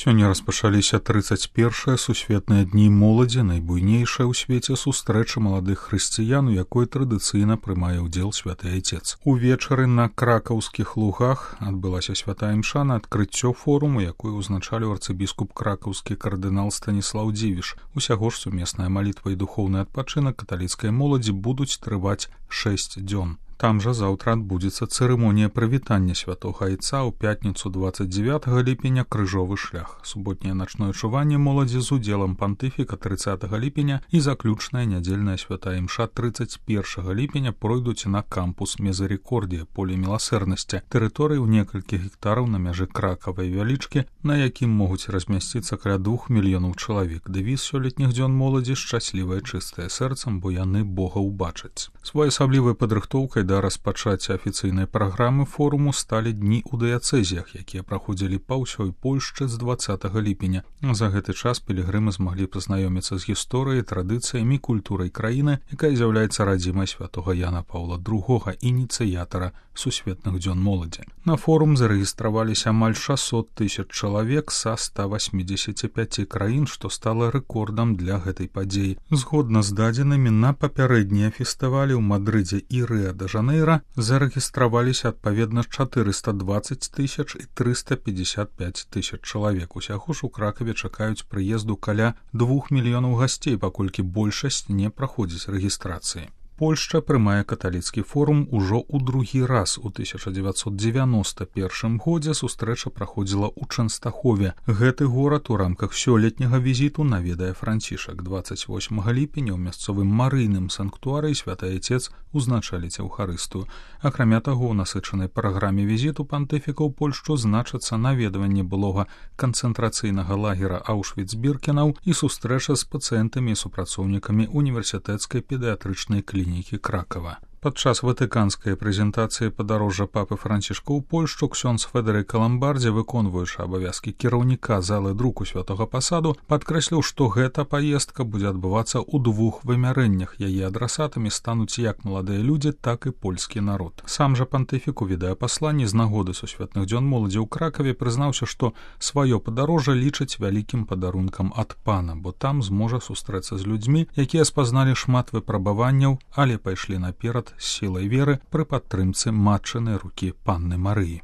Сёння распачаліся 31-е сусветныя дні моладзі, найбуйнейшая ў свеце сустрэча маладых хрысціян, у якой традыцыйна прымае ўдзел святы айцец. Увечары на кракаўскіх лугах адбылася святая імша на адкрыццё форуму, якую ўзначаліў арцыбіскуп кракаўскі кардынал Станіслаў Дзівіш. Усяго ж сумесная малітва і духоўны адпачынак каталіцкай моладзі будуць трываць 6 дзён. Там жа заўтра адбудзецца цырымонія прывітання святога айца, ў пятніцу 29 ліпеня крыжовы шлях, суботняе начное чуванне моладзі з удзелам пантыфіка 30 ліпеня і заключная нядзельная святая імша 31 ліпеня пройдуць на кампус Мезарикордія, поле міласэрнасці, тэрыторыі ў некалькі гектараў на мяжы Кракава і Вялічкі, на якім могуць размясціцца каля 2 мільёнаў чалавек. Дэвіз сёлетніх дзён моладзі шчаслівае чыстае сэрцам, бо яны Бога ўбачаць. Своеасаблівай падрыхтоўкай да распачацця афіцыйнай праграмы форуму сталі дні ў дыяцэзіях, якія праходзілі па ўсёй Польшчы з 20 ліпеня. За гэты час пілігрымы змаглі пазнаёміцца з гісторыяй, традыцыямі, культурай краіны, якая з'яўляецца радзімай святога Яна Паўла II, ініцыятара сусветных дзён моладзі. На форум зарэгістраваліся амаль 600 000 чалавек са 185 краін, што стала рэкордам для гэтай падзеі. Згодна з дадзенымі, на папярэднія фестывалі ў Мадрыдзе і Рыа-дэ-Жанэйра зарэгістраваліся адпаведна 420 000 і 355 000 чалавек. Усяго ж у Кракаве чакаюць прыезду каля 2 мільёнаў гасцей, паколькі большасць не праходзіць рэгістрацыі. Польшча прымае каталіцкі форум ужо ў другі раз. У 1991 годзе сустрэча праходзіла ў Чэнстахове. Гэты горад у рамках сёлетняга візіту наведае Францішак. 28 ліпеня ў мясцовым марыйным санктуарыі святы айцец узначаліць эўхарыстыю. Акрамя таго, у насычанай праграме візіту пантыфіка ў Польшчу значацца наведванне былога канцэнтрацыйнага лагера Аўшвіц-Біркенаў і сустрэча з пацыентамі і супрацоўнікамі універсітэцкай педыятрычнай клінікі Кракава. Падчас ватыканскай прэзентацыі падарожжа папы Францішка ў Польшчу ксёндз Федэрыка Ламбардзі, выконваючы абавязкі кіраўніка залы друку святога пасаду, падкрэсліў, што гэта паездка будзе адбывацца ў 2 вымярэннях. Яе адрасатамі стануць як маладыя людзі, так і польскі народ. Сам жа пантыфік у відэапасланні з нагоды сусветных дзён моладзі ў Кракаве прызнаўся, што сваё падарожжа лічыць вялікім падарункам ад Пана, бо там зможа сустрэцца з людзьмі, якія спазналі шмат выпрабаванняў, але пайшлі наперад з сілай веры пры падтрымцы матчынай рукі Панны Марыі.